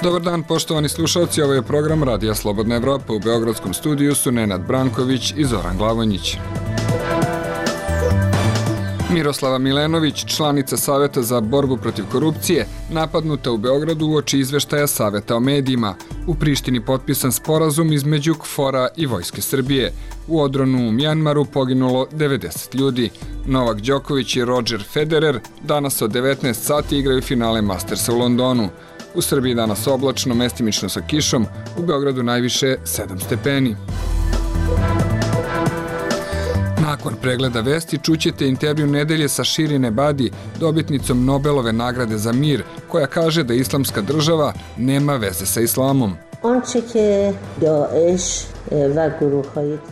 Dobar dan, poštovani slušalci, ovo je program Radija Slobodna Evropa. U Beogradskom studiju su Nenad Branković i Zoran Glavonjić. Miroslava Milenović, članica Saveta za borbu protiv korupcije, napadnuta u Beogradu uoči izveštaja Saveta o medijima. U Prištini potpisan sporazum između KFOR-a i Vojske Srbije. U odronu u Mjanmaru poginulo 90 ljudi. Novak Đoković i Roger Federer danas od 19 sati igraju finale Mastersa u Londonu. U Srbiji danas oblačno, mestimično sa kišom, u Beogradu najviše 7 stepeni. Nakon pregleda vesti čućete intervju nedelje sa Shirin Ebadi, dobitnicom Nobelove nagrade za mir, koja kaže da Islamska država nema veze sa islamom.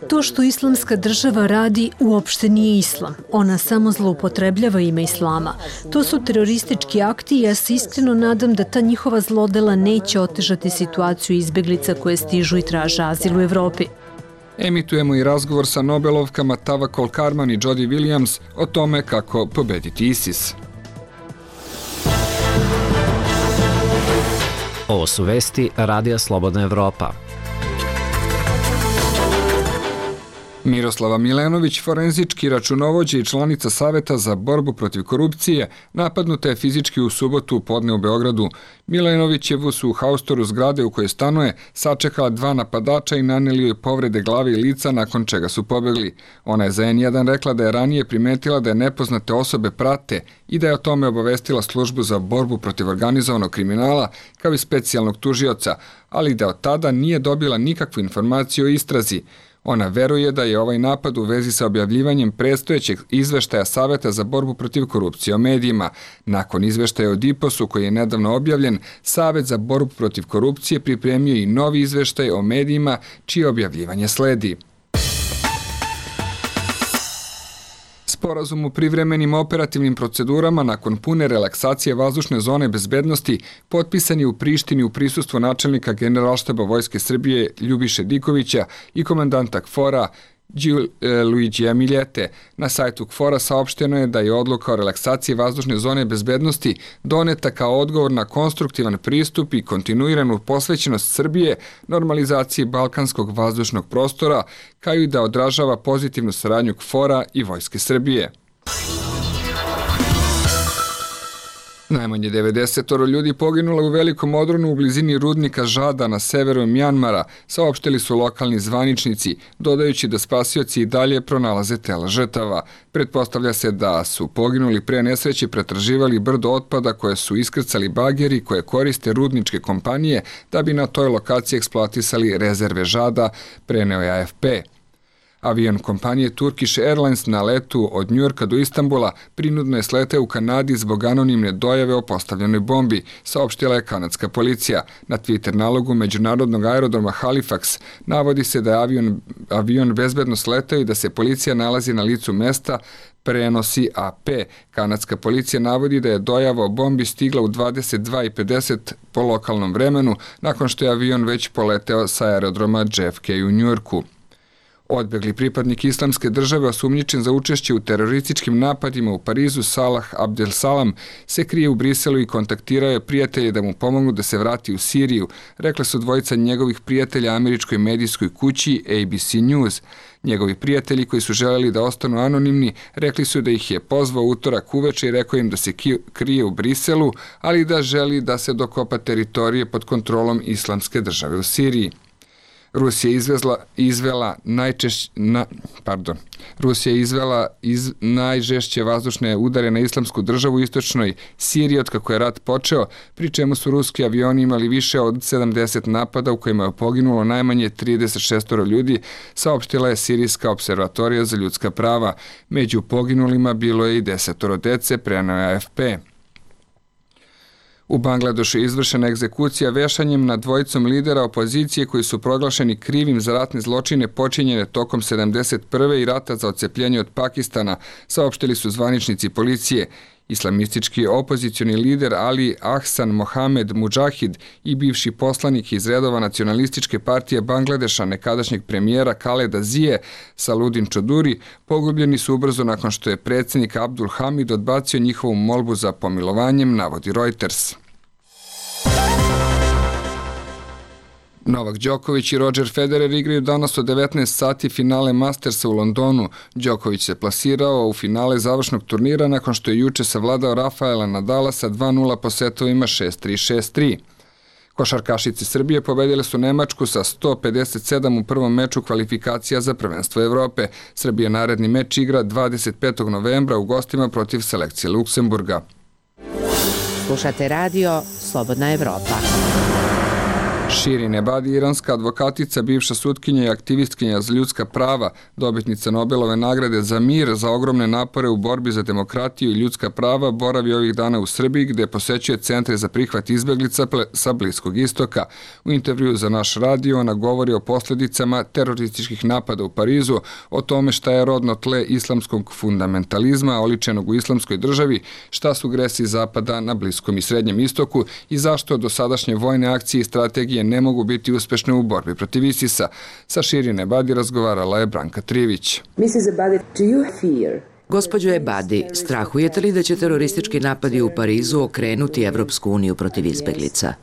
To što Islamska država radi uopšte nije islam. Ona samo zloupotrebljava ime islama. To su teroristički akti i ja se iskreno nadam da ta njihova zlodela neće otežati situaciju izbeglica koje stižu i traže azil u Evropi. Emitujemo i razgovor sa Nobelovkama Tawakkol Karman i Jodie Williams o tome kako pobediti ISIS. Ovo su vesti Radija Slobodna Evropa. Miroslava Milenović, forenzički računovođa i članica Saveta za borbu protiv korupcije, napadnuta je fizički u subotu podne u Beogradu. Milenovićevu su u haustoru zgrade u kojoj stanuje sačekala 2 napadača i naneli joj povrede glave i lica, nakon čega su pobegli. Ona je za N1 rekla da je ranije primetila da je nepoznate osobe prate i da je o tome obavestila službu za borbu protiv organizovanog kriminala kao i specijalnog tužioca, ali da od tada nije dobila nikakvu informaciju o istrazi. Ona veruje da je ovaj napad u vezi sa objavljivanjem predstojećeg izveštaja Saveta za borbu protiv korupcije o medijima. Nakon izveštaja o DIPOS-u koji je nedavno objavljen, Savet za borbu protiv korupcije pripremio i novi izveštaj o medijima čije objavljivanje sledi. Sporazum o privremenim operativnim procedurama nakon pune relaksacije vazdušne zone bezbednosti potpisan je u Prištini u prisustvu načelnika Generalštaba Vojske Srbije Ljubiše Dikovića i komandanta KFOR-a Luigija Miljete. Na sajtu KFOR-a saopšteno je da je odluka o relaksaciji vazdušne zone bezbednosti doneta kao odgovor na konstruktivan pristup i kontinuiranu posvećenost Srbije normalizaciji balkanskog vazdušnog prostora, kao i da odražava pozitivnu saradnju KFOR-a i Vojske Srbije. Najmanje 90 ljudi poginulo u velikom odronu u blizini rudnika Žada na severu Mjanmara, saopštili su lokalni zvaničnici, dodajući da spasioci i dalje pronalaze tela žrtava. Pretpostavlja se da su poginuli pre nesreće pretraživali brdo otpada koje su iskrcali bageri koje koriste rudničke kompanije da bi na toj lokaciji eksploatisali rezerve Žada, preneo je AFP. Avion kompanije Turkish Airlines na letu od Njujorka do Istanbula prinudno je sleteo u Kanadi zbog anonimne dojave o postavljenoj bombi, saopštila je kanadska policija. Na Twitter nalogu međunarodnog aerodroma Halifax navodi se da je avion bezbedno sleteo i da se policija nalazi na licu mesta, prenosi AP. Kanadska policija navodi da je dojava o bombi stigla u 22:50 po lokalnom vremenu, nakon što je avion već poleteo sa aerodroma JFK u Njujorku. Odbegli pripadnik Islamske države osumnjičen za učešće u terorističkim napadima u Parizu Salah Abdel-Salam se krije u Briselu i kontaktirao je prijatelje da mu pomognu da se vrati u Siriju, rekla su dvojica njegovih prijatelja američkoj medijskoj kući ABC News. Njegovi prijatelji koji su želeli da ostanu anonimni rekli su da ih je pozvao utorak uveče i rekao im da se krije u Briselu, ali da želi da se dokopa teritorije pod kontrolom Islamske države u Siriji. Rusija je izvela najžešće vazdušne udare na Islamsku državu u istočnoj Siriji od kako je rat počeo, pri čemu su ruski avioni imali više od 70 napada u kojima je poginulo najmanje 36 ljudi, saopštila je Sirijska observatorija za ljudska prava. Među poginulima bilo je i 10 dece, preneo je AFP. U Bangladešu je izvršena egzekucija vešanjem nad dvojicom lidera opozicije koji su proglašeni krivim za ratne zločine počinjene tokom 71. i rata za odcepljenje od Pakistana, saopštili su zvaničnici policije. Islamistički opozicioni lider Ali Ahsan Mohamed Mujahid i bivši poslanik iz redova nacionalističke partije Bangladeša, nekadašnjeg premijera Khaleda Zije, Saludin Čoduri, pogubljeni su ubrzo nakon što je predsjednik Abdul Hamid odbacio njihovu molbu za pomilovanjem, navodi Reuters. Novak Đoković i Roger Federer igraju danas od 19 sati finale Mastersa u Londonu. Đoković se plasirao u finale završnog turnira nakon što je juče savladao Rafaela Nadala sa 2-0 po setovima 6-3, 6-3. Košarkašice Srbije pobedile su Nemačku sa 157 u prvom meču kvalifikacija za prvenstvo Evrope. Srbija naredni meč igra 25. novembra u gostima protiv selekcije Luksemburga. Slušate radio Slobodna Evropa. Shirin Ebadi, iranska advokatica, bivša sutkinja i aktivistkinja za ljudska prava, dobitnica Nobelove nagrade za mir za ogromne napore u borbi za demokratiju i ljudska prava, boravi ovih dana u Srbiji gde posećuje centre za prihvat izbeglica sa Bliskog istoka. U intervju za naš radio ona govori o posljedicama terorističkih napada u Parizu, o tome šta je rodno tle islamskog fundamentalizma oličenog u islamskoj državi, šta su gresi Zapada na Bliskom i Srednjem istoku i zašto dosadašnje vojne akcije i strategije ne mogu biti uspešne u borbi protiv ISIS-a. Sa Shirin Ebadi razgovarala je Branka Trivić. Gospođo Ebadi, strahujete li da će teroristički napadi u Parizu okrenuti Evropsku uniju protiv izbeglica?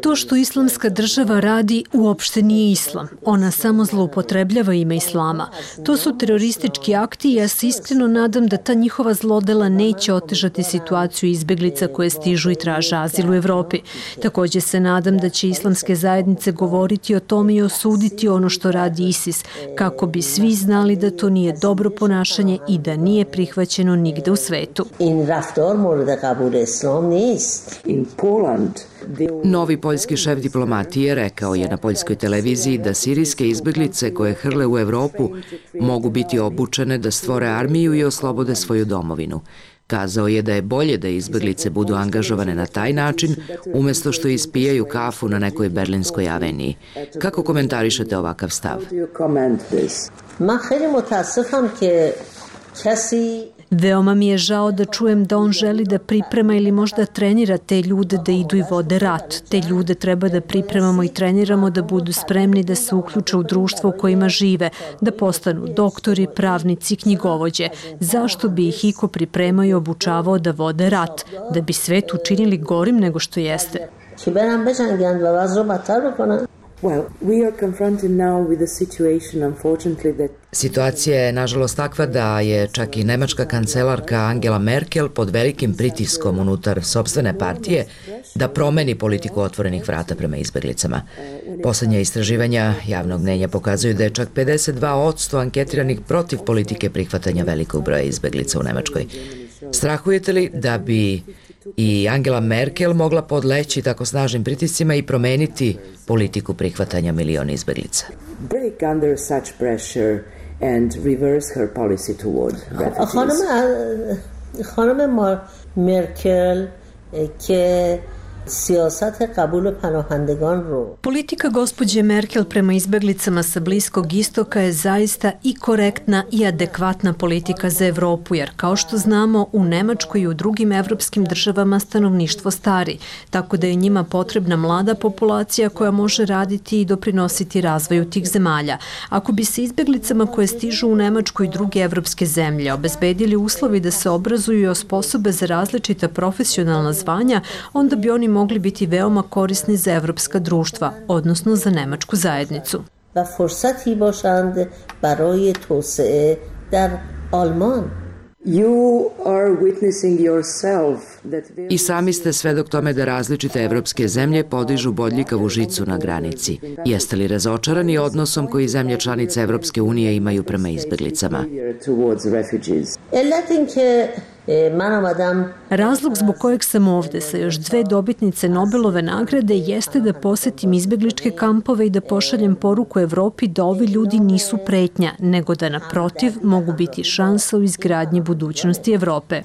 To što islamska država radi uopšte nije islam. Ona samo zloupotrebljava ime islama. To su teroristički akti i ja se iskreno nadam da ta njihova zlodela neće otežati situaciju izbeglica koje stižu i traže azil u Evropi. Također se nadam da će islamske zajednice govoriti o tome i osuditi ono što radi ISIS, kako bi svi znali da to nije dobro ponašanje i da nije prihvaćeno nigde u svetu. Novi poljski šef diplomatije rekao je na poljskoj televiziji da sirijske izbeglice koje hrle u Evropu mogu biti obučene da stvore armiju i oslobode svoju domovinu. Kazao je da je bolje da izbeglice budu angažovane na taj način, umjesto što ispijaju kafu na nekoj berlinskoj aveniji. Kako komentarišete ovakav stav? Veoma mi je žao da čujem da on želi da priprema ili možda trenira te ljude da idu i vode rat. Te ljude treba da pripremamo i treniramo da budu spremni da se uključe u društvo u kojima žive, da postanu doktori, pravnici, knjigovođe. Zašto bi ih iko pripremao i obučavao da vode rat? Da bi svet učinili gorim nego što jeste. Situacija je nažalost takva da je čak i nemačka kancelarka Angela Merkel pod velikim pritiskom unutar sopstvene partije da promeni politiku otvorenih vrata prema izbeglicama. Poslednja istraživanja javnog mnjenja pokazuju da je čak 52% anketiranih protiv politike prihvatanja velikog broja izbeglica u Nemačkoj. Strahujete li da bi i Angela Merkel mogla podleći tako snažnim pritiscima i promeniti politiku prihvatanja miliona izbeglica? Hanım Merkel Politika gospođe Merkel prema izbeglicama sa Bliskog istoka je zaista i korektna i adekvatna politika za Evropu, jer kao što znamo u Nemačkoj i u drugim evropskim državama stanovništvo stari, tako da je njima potrebna mlada populacija koja može raditi i doprinositi razvoju tih zemalja. Ako bi se izbeglicama koje stižu u Nemačku i druge evropske zemlje obezbedili uslovi da se obrazuju i osposobe za različita profesionalna zvanja, onda bi oni mogli biti veoma korisni za evropska društva, odnosno za nemačku zajednicu. I sami ste svedok tome da različite evropske zemlje podižu bodljikavu žicu na granici. Jeste li razočarani odnosom koji zemlje članice Evropske unije imaju prema izbeglicama? Razlog zbog kojeg sam ovde sa još 2 dobitnice Nobelove nagrade jeste da posetim izbegličke kampove i da pošaljem poruku Evropi da ovi ljudi nisu pretnja, nego da naprotiv mogu biti šansa u izgradnji budućnosti Evrope.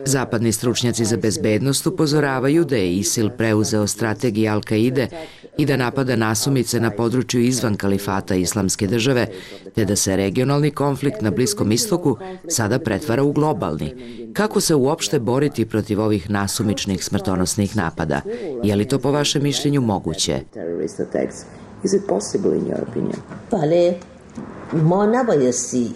Zapadni stručnjaci za bezbednost upozoravaju da je ISIL preuzeo strategiju Al-Kaide i da napada nasumice na području izvan kalifata Islamske države, te da se regionalni konflikt na Bliskom istoku sada pretvara u globalni. Kako se uopšte boriti protiv ovih nasumičnih smrtonosnih napada? Je li to po vašem mišljenju moguće? ما نبایستی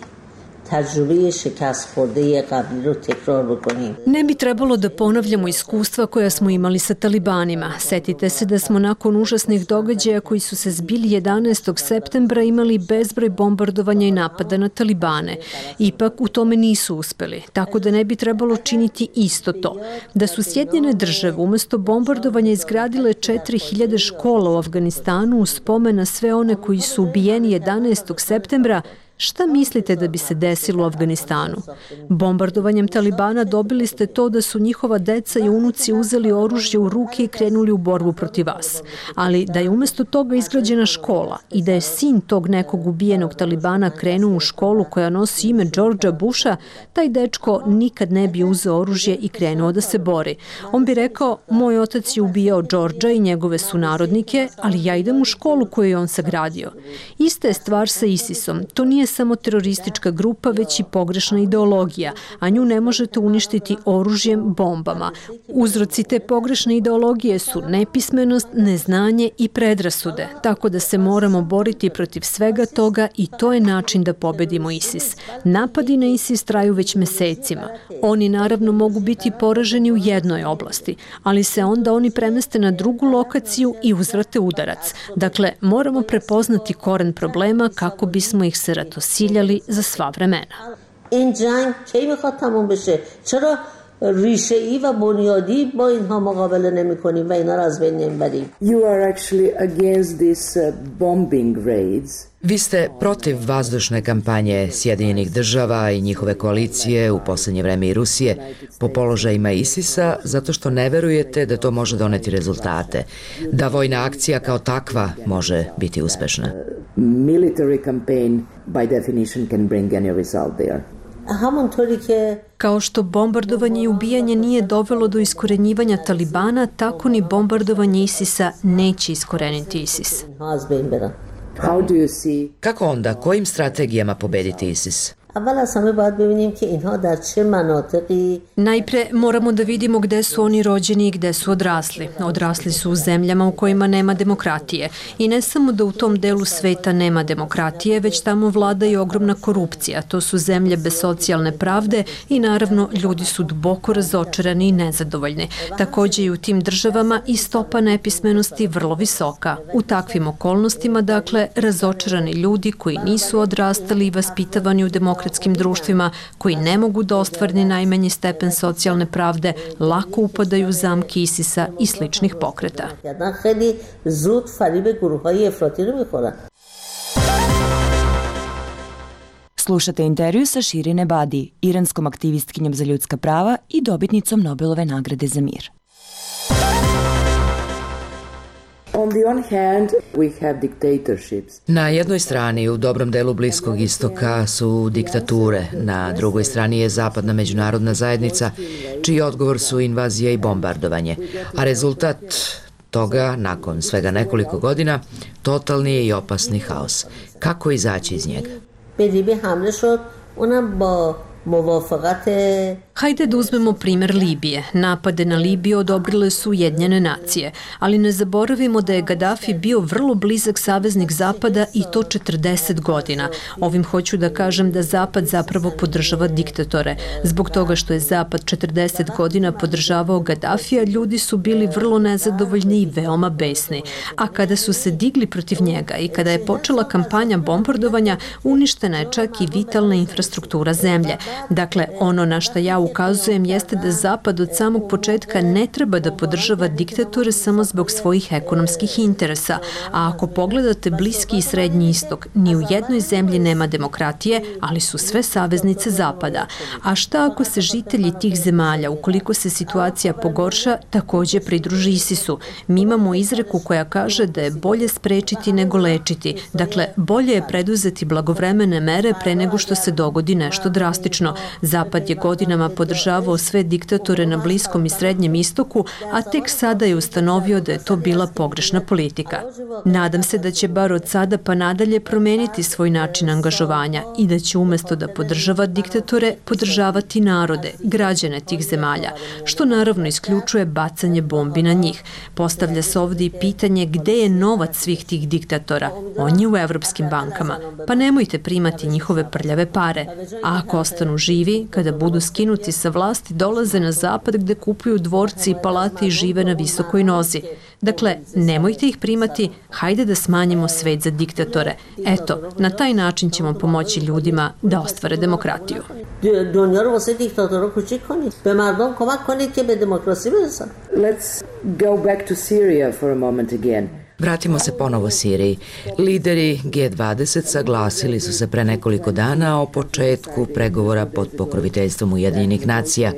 تجربه شکست خورده قبلی رو تکرار بکنیم. Ne bi trebalo da ponavljamo iskustva koja smo imali sa talibanima. Setite se da smo nakon užasnih događaja koji su se zbili 11. septembra imali bezbroj bombardovanja i napada na talibane. Ipak u tome nisu uspeli, tako da ne bi trebalo činiti isto to. Da su Sjedinjene države umesto bombardovanja izgradile 4000 škola u Afganistanu u spomen na sve one koji su ubijeni 11. septembra, šta mislite da bi se desilo u Afganistanu? Bombardovanjem Talibana dobili ste to da su njihova deca i unuci uzeli oružje u ruke i krenuli u borbu protiv vas. Ali da je umesto toga izgrađena škola i da je sin tog nekog ubijenog Talibana krenuo u školu koja nosi ime Georgea Busha, taj dečko nikad ne bi uzeo oružje i krenuo da se bori. On bi rekao, moj otac je ubijao Georgea i njegove sunarodnike, ali ja idem u školu koju je on sagradio. Ista je stvar sa ISIS-om. To nije samo teroristička grupa, već i pogrešna ideologija, a nju ne možete uništiti oružjem, bombama. Uzroci te pogrešne ideologije su nepismenost, neznanje i predrasude, tako da se moramo boriti protiv svega toga i to je način da pobedimo ISIS. Napadi na ISIS traju već mesecima. Oni naravno mogu biti poraženi u jednoj oblasti, ali se onda oni premeste na drugu lokaciju i uzvrate udarac. Dakle, moramo prepoznati koren problema kako bismo ih se ratosiljali za sva vremena. این جنگ کی میخواد تموم بشه؟ چرا ریشه ای و بنیادی با اینها مقابله نمی‌کنیم و اینا رو از بین نمیبریم؟ You are actually against these bombing raids. Vi ste protiv vazdušne kampanje Sjedinjenih država i njihove koalicije, u poslednje vreme i Rusije, po položajima ISIS-a, zato što ne verujete da to može doneti rezultate, da vojna akcija kao takva može biti uspešna. Military campaign by definition can bring any result there. Kao što bombardovanje i ubijanje nije dovelo do iskorenjivanja Talibana, tako ni bombardovanje ISIS-a neće iskoreniti ISIS. How do you see? Kako onda, kojim strategijama pobediti ISIS? Najpre moramo da vidimo gde su oni rođeni i gde su odrasli. Odrasli su u zemljama u kojima nema demokratije. I ne samo da u tom delu sveta nema demokratije, već tamo vlada i ogromna korupcija. To su zemlje bez socijalne pravde i naravno ljudi su duboko razočarani i nezadovoljni. Takođe i u tim državama i stopa nepismenosti vrlo visoka. U takvim okolnostima, dakle, razočarani ljudi koji nisu odrastali i vaspitavani u demokratskim društvima, koji ne mogu da ostvare ni najmanji stepen socijalne pravde, lako upadaju u zamke ISIS-a i sličnih pokreta. Slušate intervju sa Shirin Ebadi, iranskom aktivistkinjom za ljudska prava i dobitnicom Nobelove nagrade za mir. On the one hand, we have dictatorships. Na jednoj strani u dobrom delu Bliskog istoka su diktature, na drugoj strani je zapadna međunarodna zajednica, čiji odgovor su invazija i bombardovanje, a rezultat toga, nakon svega nekoliko godina, totalni je i opasni haos. Kako izaći iz njega? Hajde da uzmemo primer Libije. Napade na Libiju odobrile su Ujedinjene nacije, ali ne zaboravimo da je Gaddafi bio vrlo blizak saveznik Zapada i to 40 godina. Ovim hoću da kažem da Zapad zapravo podržava diktatore. Zbog toga što je Zapad 40 godina podržavao Gaddafija, ljudi su bili vrlo nezadovoljni i veoma besni. A kada su se digli protiv njega i kada je počela kampanja bombardovanja, uništena je čak i vitalna infrastruktura zemlje. Dakle, ono na što ja ukazujem jeste da Zapad od samog početka ne treba da podržava diktatore samo zbog svojih ekonomskih interesa. A ako pogledate Bliski i Srednji istok, ni u jednoj zemlji nema demokratije, ali su sve saveznice Zapada. A šta ako se žitelji tih zemalja, ukoliko se situacija pogorša, takođe pridruži ISIS-u? Mi imamo izreku koja kaže da je bolje sprečiti nego lečiti. Dakle, bolje je preduzeti blagovremene mere pre nego što se dogodi nešto drastično. Zapad je godinama podržavao sve diktatore na Bliskom i Srednjem istoku, a tek sada je ustanovio da je to bila pogrešna politika. Nadam se da će bar od sada pa nadalje promeniti svoj način angažovanja i da će umesto da podržava diktatore, podržavati narode, građane tih zemalja, što naravno isključuje bacanje bombi na njih. Postavlja se ovdje i pitanje gde je novac svih tih diktatora. On je u evropskim bankama. Pa nemojte primati njihove prljave pare. A ako ostanu živi, kada budu skinuti sa vlasti, dolaze na zapad gde kupuju dvorci i palate i žive na visokoj nozi. Dakle, nemojte ih primati, hajde da smanjimo svet za diktatore. Eto, na taj način ćemo pomoći ljudima da ostvare demokratiju. Let's go back to Syria for a moment again. Vratimo se ponovo Siriji. Lideri G20 saglasili su se pre nekoliko dana o početku pregovora pod pokroviteljstvom Ujedinjenih nacija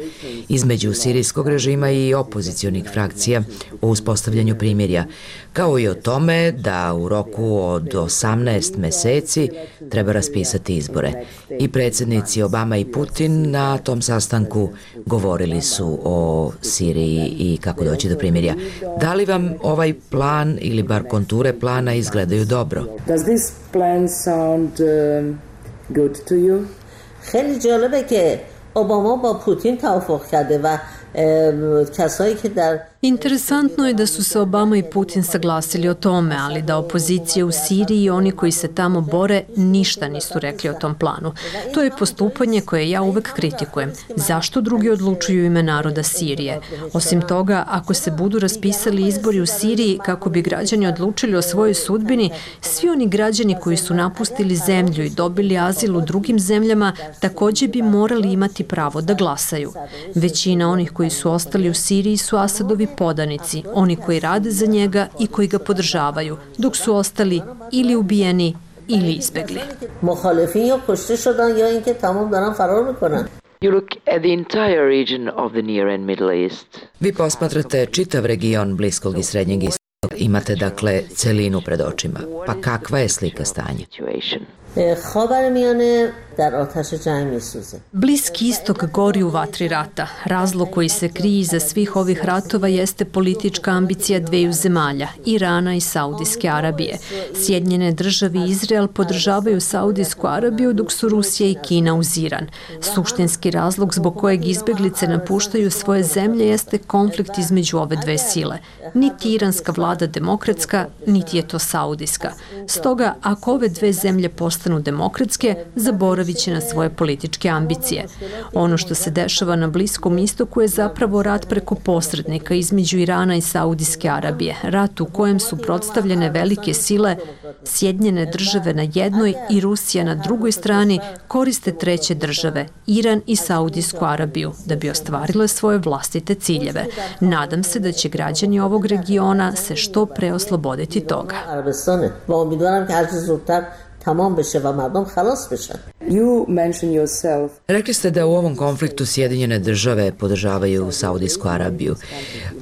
između sirijskog režima i opozicionih frakcija o uspostavljanju primirja, kao i o tome da u roku od 18 meseci treba raspisati izbore. I predsjednici Obama i Putin na tom sastanku govorili su o Siriji i kako doći do primirja. Da li vam ovaj plan ili bar konture plana izgledaju dobro? Does this plan sound good to you? خیلی جالبه که اوباما با پوتین توافق کرده و کسایی که در Interesantno je da su se Obama i Putin saglasili o tome, ali da opozicija u Siriji i oni koji se tamo bore ništa nisu rekli o tom planu. To je postupanje koje ja uvek kritikujem. Zašto drugi odlučuju ime naroda Sirije? Osim toga, ako se budu raspisali izbori u Siriji kako bi građani odlučili o svojoj sudbini, svi oni građani koji su napustili zemlju i dobili azil u drugim zemljama takođe bi morali imati pravo da glasaju. Većina onih koji su ostali u Siriji su Asadovi podanici, oni koji rade za njega i koji ga podržavaju, dok su ostali ili ubijeni ili izbegli. You look at the entire region of the Near and Middle East. Vi posmatrate čitav region Bliskog i Srednjeg istoka. Imate dakle celinu pred očima. Pa kakva je slika stanja? Bliski istok gori u vatri rata. Razlog koji se krije iza svih ovih ratova jeste politička ambicija dveju zemalja, Irana i Saudijske Arabije. Sjedinjene države i Izrael podržavaju Saudijsku Arabiju dok su Rusija i Kina uz Iran. Suštinski razlog zbog kojeg izbeglice napuštaju svoje zemlje jeste konflikt između ove dve sile. Niti iranska vlada demokratska, niti je to saudijska. Stoga, ako ove dve zemlje postanu demokratske, zaboravit će na svoje političke ambicije. Ono što se dešava na Bliskom istoku je zapravo rat preko posrednika između Irana i Saudijske Arabije. Rat u kojem su predstavljene velike sile, Sjedinjene države na jednoj i Rusija na drugoj strani, koriste treće države, Iran i Saudijsku Arabiju, da bi ostvarile svoje vlastite ciljeve. Nadam se da će građani ovog regiona se što pre osloboditi toga. You mention yourself. Rekli ste da u ovom konfliktu Sjedinjene države podržavaju Saudijsku Arabiju,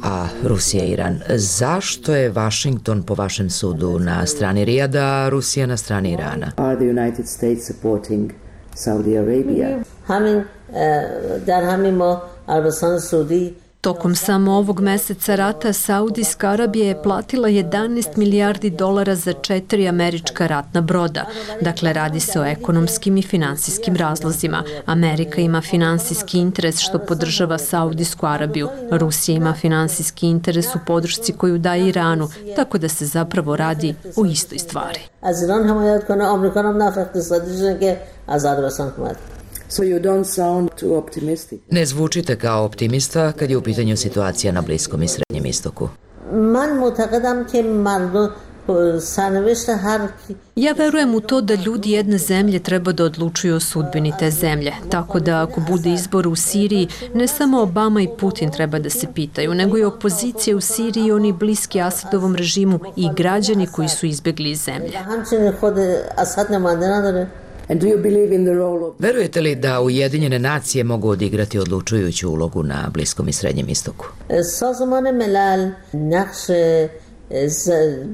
a Rusija i Iran. Zašto je Washington po vašem sudu na strani Rijada, a Rusija na strani Irana? Are the United States supporting Saudi Arabia? در همین ما عربستان سعودی Tokom samo ovog meseca rata Saudijska Arabija je platila 11 milijardi dolara za 4 američka ratna broda. Dakle, radi se o ekonomskim i finansijskim razlozima. Amerika ima finansijski interes što podržava Saudijsku Arabiju. Rusija ima finansijski interes u podršci koju daje Iranu, tako da se zapravo radi o istoj stvari. So you don't sound too optimistic. Ne zvučite kao optimista kad je u pitanju situacija na Bliskom i Srednjem istoku. Ja verujem u to da ljudi jedne zemlje treba da odlučuju o sudbini te zemlje. Tako da ako bude izbor u Siriji, ne samo Obama i Putin treba da se pitaju, nego i opozicija u Siriji i oni bliski Asadovom režimu i građani koji su izbegli iz zemlje. And do you believe in the role of... Verujete li da Ujedinjene nacije mogu odigrati odlučujuću ulogu na Bliskom i Srednjem istoku? سازمان ملل نقش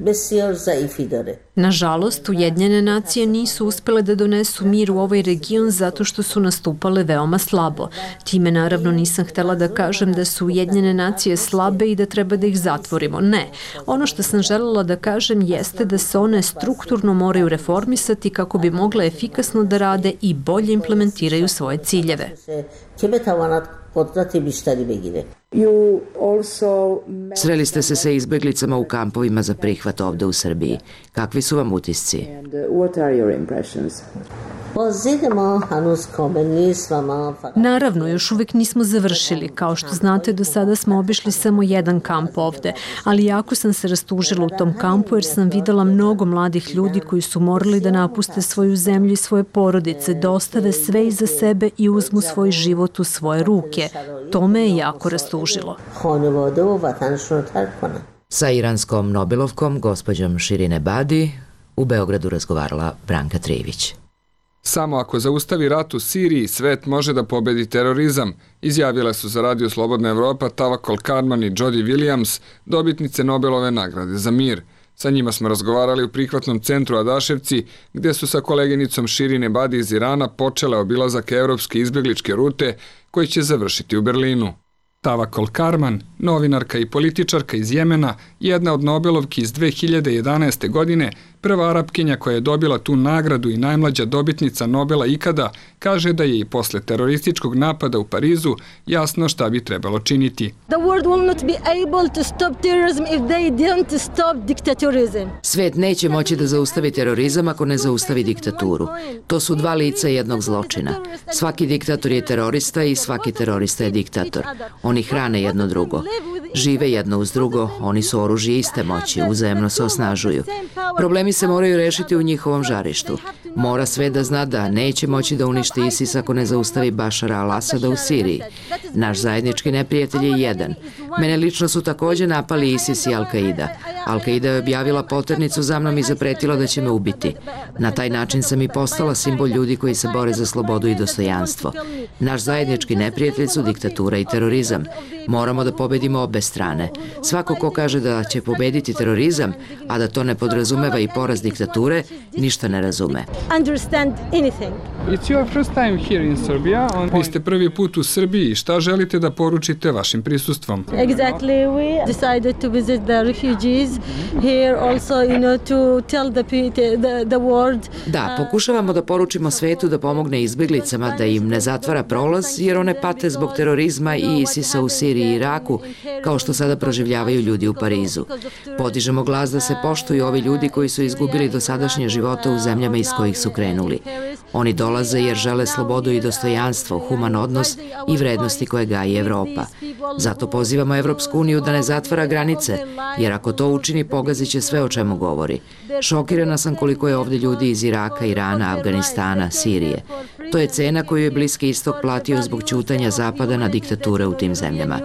بسیار ضعیفی داره. Nažalost, Ujedinjene nacije nisu uspele da donesu mir u ovaj region zato što su nastupale veoma slabo. Time naravno nisam htela da kažem da su Ujedinjene nacije slabe i da treba da ih zatvorimo. Ne. Ono što sam želela da kažem jeste da se one strukturno moraju reformisati kako bi mogle efikasno da rade i bolje implementiraju svoje ciljeve. Sreli ste se sa izbeglicama u kampovima za prihvat ovde u Srbiji. Kakvi su vam utisci? Naravno, još uvijek nismo završili. Kao što znate, do sada smo obišli samo jedan kamp ovde, ali jako sam se rastužila u tom kampu jer sam videla mnogo mladih ljudi koji su morali da napuste svoju zemlju i svoje porodice, da ostave sve iza sebe i uzmu svoj život u svoje ruke. To me je jako rastužilo. Sa iranskom Nobelovkom, gospođom Shirin Ebadi, u Beogradu razgovarala Branka Trivić. Samo ako zaustavi rat u Siriji, svet može da pobedi terorizam, izjavile su za Radio Slobodna Evropa Tawakkol Karman i Jody Williams, dobitnice Nobelove nagrade za mir. Sa njima smo razgovarali u prihvatnom centru Adaševci, gdje su sa koleginicom Shirin Ebadi iz Irana počele obilazak evropske izbjegličke rute koji će završiti u Berlinu. Tawakkol Karman, novinarka i političarka iz Jemena, jedna od Nobelovki iz 2011. godine, prva Arapkinja koja je dobila tu nagradu i najmlađa dobitnica Nobela ikada, kaže da je i posle terorističkog napada u Parizu jasno šta bi trebalo činiti. Svet neće moći da zaustavi terorizam ako ne zaustavi diktaturu. To su dva lica jednog zločina. Svaki diktator je terorista i svaki terorista je diktator. Oni hrane jedno drugo. Žive jedno uz drugo, oni su oružje iste moći, uzajemno se osnažuju. Problemi se moraju rešiti u njihovom žarištu. Mora sve da zna da neće moći da uništi ISIS ako ne zaustavi Bašara al-Asada u Siriji. Naš zajednički neprijatelj je jedan. Mene lično su također napali ISIS i Al-Qaida. Al-Qaida je objavila poternicu za mnom i zapretila da će me ubiti. Na taj način sam i postala simbol ljudi koji se bore za slobodu i dostojanstvo. Naš zajednički neprijatelj su diktatura i terorizam. Moramo da pobedimo obe strane. Svako ko kaže da će pobediti terorizam, a da to ne podrazumeva i poraz diktature, ništa ne razume. Vi ste prvi put u Srbiji. Šta želite da poručite vašim prisustvom? Da, pokušavamo da poručimo svetu da pomogne izbjeglicama, da im ne zatvara prolaz, jer one pate zbog terorizma i ISIS-a u Siriji i Iraku, kao što sada proživljavaju ljudi u Parizu. Podižemo glas da se poštuju ovi ljudi koji su izgubili dosadašnje živote u zemljama iz kojih su krenuli. Oni dolaze jer žele slobodu i dostojanstvo, human odnos i vrednosti koje gaji Evropa. Zato pozivamo Evropsku uniju da ne zatvara granice, jer ako to učini, pogazit će sve o čemu govori. Šokirana sam koliko je ovdje ljudi iz Iraka, Irana, Afganistana, Sirije. To je cena koju je Bliski istok platio zbog ćutanja Zapada na diktature u tim zemljama.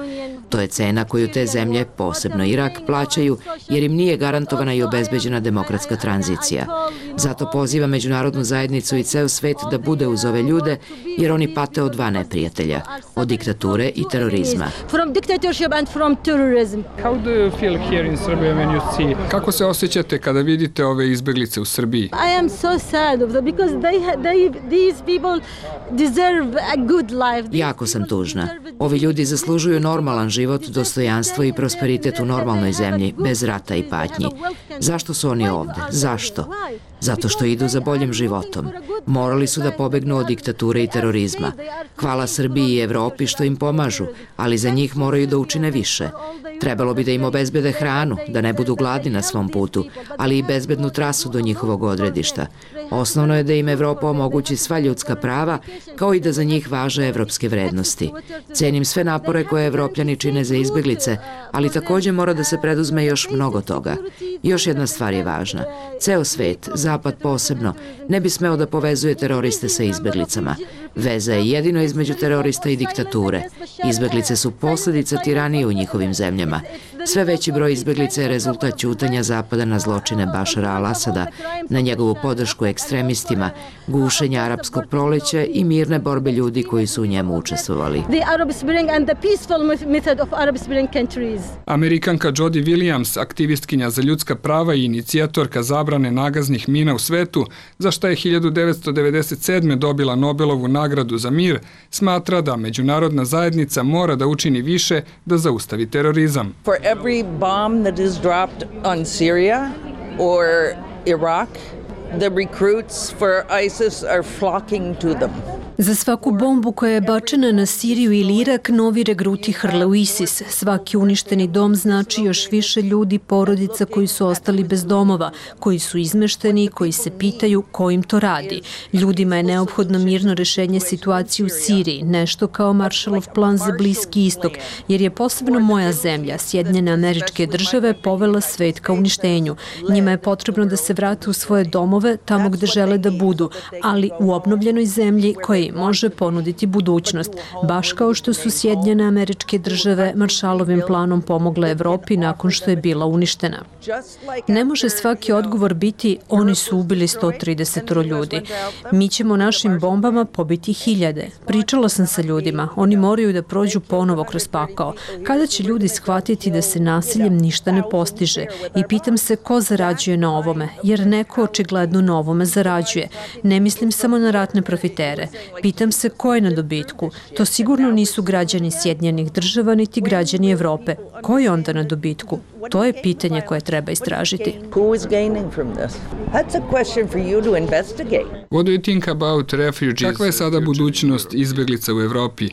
To je cena koju te zemlje, posebno Irak, plaćaju jer im nije garantovana i obezbeđena demokratska tranzicija. Zato poziva međunarodnu zajednicu i ceo svet da bude uz ove ljude jer oni pate od dva neprijatelja, od diktature i terorizma. Kako se osjećate kada vidite ove izbjeglice u Srbiji? Jako sam tužna. Ovi ljudi zaslužuju normalan život, dostojanstvo i prosperitet u normalnoj zemlji, bez rata i patnji. Zašto su oni ovde? Zašto? Zato što idu za boljim životom. Morali su da pobegnu od diktature i terorizma. Hvala Srbiji i Evropi što im pomažu, ali za njih moraju da učine više. Trebalo bi da im obezbede hranu, da ne budu gladni na svom putu, ali i bezbednu trasu do njihovog odredišta. Osnovno je da im Evropa omogući sva ljudska prava, kao i da za njih važe evropske vrednosti. Cenim sve napore koje Evropljani čine za izbjeglice, ali također mora da se preduzme još mnogo toga. Još jedna stvar je važna. Ceo svet, Zapad posebno, ne bi smeo da povezuje teroriste sa izbjeglicama. Veza je jedino između terorista i diktature. Izbeglice su posljedica tiranije u njihovim zemljama. Sve veći broj izbeglica je rezultat ćutanja Zapada na zločine Bašara al-Asada, na njegovu podršku ekstremistima, gušenja arapskog proleća i mirne borbe ljudi koji su u njemu učestvovali. Amerikanka Jody Williams, aktivistkinja za ljudska prava i inicijatorka zabrane nagaznih mina u svetu, za što je 1997. dobila Nobelovu nagradu za mir, smatra da međunarodna zajednica mora da učini više da zaustavi terorizam. For every bomb that is dropped on Syria or Iraq, the recruits for ISIS are flocking to them. Za svaku bombu koja je bačena na Siriju ili Irak, novi regruti hrle u ISIS. Svaki uništeni dom znači još više ljudi, porodica koji su ostali bez domova, koji su izmešteni i koji se pitaju ko im to radi. Ljudima je neophodno mirno rešenje situacije u Siriji, nešto kao Marshallov plan za Bliski istok, jer je posebno moja zemlja, Sjedinjene Američke Države, povela svet ka uništenju. Njima je potrebno da se vrate u svoje domove, tamo gde žele da budu, ali u obnovljenoj zemlji koja može ponuditi budućnost, baš kao što su Sjedinjene Američke Države Marshallovim planom pomogle Evropi nakon što je bila uništena. Ne može svaki odgovor biti oni su ubili 130 ljudi. Mi ćemo našim bombama pobiti hiljade. Pričala sam sa ljudima, oni moraju da prođu ponovo kroz pakao. Kada će ljudi shvatiti da se nasiljem ništa ne postiže? I pitam se ko zarađuje na ovome, jer neko očigledno na ovome zarađuje. Ne mislim samo na ratne profitere. Pitam se ko je na dobitku. To sigurno nisu građani Sjedinjenih Država niti građani Evrope. Ko je onda na dobitku? To je pitanje koje treba istražiti. What do you think about refugees? Kakva je sada budućnost izbeglica u Evropi?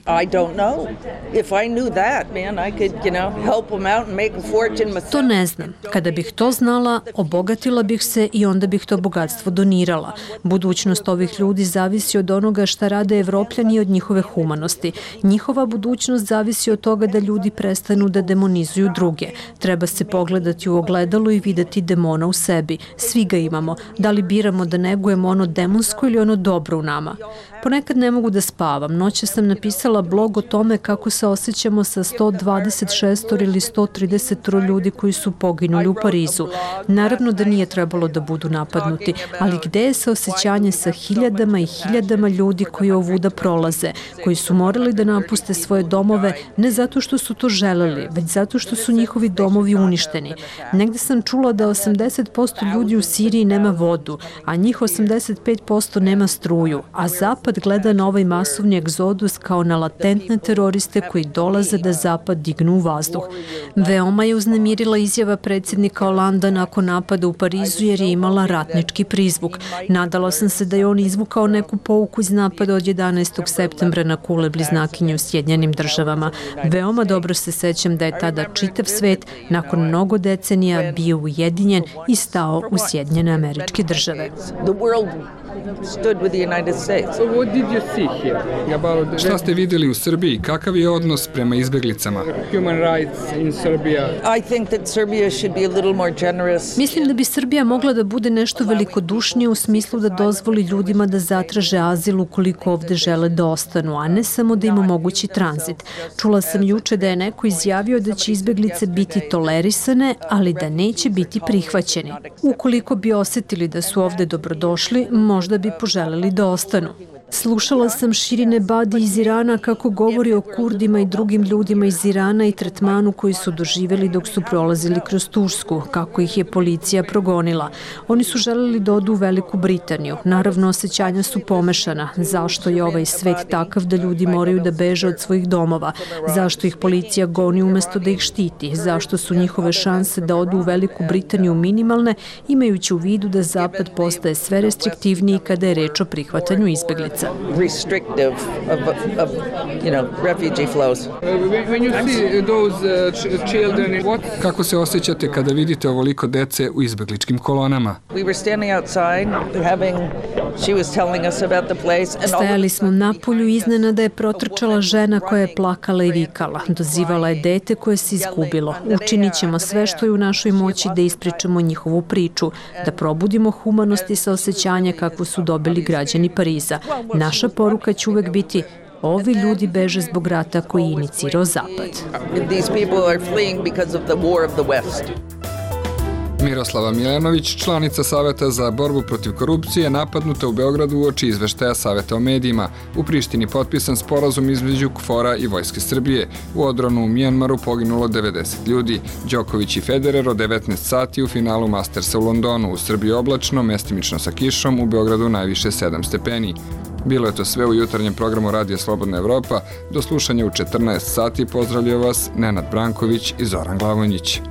To ne znam. Kada bih to znala, obogatila bih se i onda bih to bogatstvo donirala. Budućnost ovih ljudi zavisi od onoga šta rade Evropljani i od njihove humanosti. Njihova budućnost zavisi od toga da ljudi prestanu da demonizuju druge. Treba se pogledati u ogledalo i videti demona u sebi. Svi ga imamo. Da li biramo da negujemo ono demonsko ili ono dobro u nama? Ponekad ne mogu da spavam. Noćas sam napisala blog o tome kako se osjećamo sa 126 ili 130 ljudi koji su poginuli u Parizu. Naravno da nije trebalo da budu napadnuti, ali gde je saosećanje sa hiljadama i hiljadama ljudi koji ovuda prolaze, koji su morali da napuste svoje domove ne zato što su to želeli, već zato što su njihovi domovi uništeni. Negde sam čula da 80% ljudi u Siriji nema vodu, a njih 85% nema struju, a Zapad gleda na ovaj masovni egzodus kao na latentne teroriste koji dolaze da Zapad dignu u vazduh. Veoma je uznemirila izjava predsjednika Holanda nakon napada u Parizu jer je imala ratnički prizvuk. Nadala sam se da je on izvukao neku pouku iz napada od 11. septembra na kule bliznakinje u Sjedinjenim Državama. Veoma dobro se sećam da je tada čitav svet nakon mnogo decenija bio ujedinjen i stao u Sjedinjene Američke Države. Šta ste vidjeli u Srbiji? Kakav je odnos prema izbeglicama? Mislim da bi Srbija mogla da bude nešto velikodušnije u smislu da dozvoli ljudima da zatraže azil ukoliko ovde žele da ostanu, a ne samo da im omogući tranzit. Čula sam juče da je neko izjavio da će izbeglice biti tolerisane, ali da neće biti prihvaćeni. Ukoliko bi osetili da su ovde dobrodošli, možda bi poželeli da ostanu. Slušala sam Shirin Ebadi iz Irana kako govori o Kurdima i drugim ljudima iz Irana i tretmanu koji su doživjeli dok su prolazili kroz Tursku, kako ih je policija progonila. Oni su želeli da odu u Veliku Britaniju. Naravno, osjećanja su pomešana. Zašto je ovaj svet takav da ljudi moraju da beže od svojih domova? Zašto ih policija goni umesto da ih štiti? Zašto su njihove šanse da odu u Veliku Britaniju minimalne, imajući u vidu da Zapad postaje sve restriktivniji kada je reč o prihvatanju izbeglica? Restrictive of refugee flows. When you see those children, kako se osjećate kada vidite ovoliko dece u izbegličkim kolonama? We were standing outside she was telling us about the place. Stajali smo na polju i iznenada je protrčala žena koja je plakala i vikala. Dozivala je dete koje se izgubilo. Učinit ćemo sve što je u našoj moći da ispričamo njihovu priču, da probudimo humanost i saosećanje kako poruku su dobili građani Pariza. Naša poruka će uvek biti: ovi ljudi beže zbog rata koji je inicirao Zapad. Miroslava Milenović, članica Saveta za borbu protiv korupcije, napadnuta u Beogradu uoči izveštaja Saveta o medijima. U Prištini potpisan sporazum između KFOR-a i Vojske Srbije. U odbranu u Mjanmaru poginulo 90 ljudi. Đoković i Federer od 19 sati u finalu Mastersa u Londonu. U Srbiji oblačno, mestimično sa kišom, u Beogradu najviše 7 stepeni. Bilo je to sve u jutarnjem programu Radija Slobodna Evropa. Do slušanja u 14 sati. Pozdravljaju vas Nenad Branković i Zoran Glavonjić.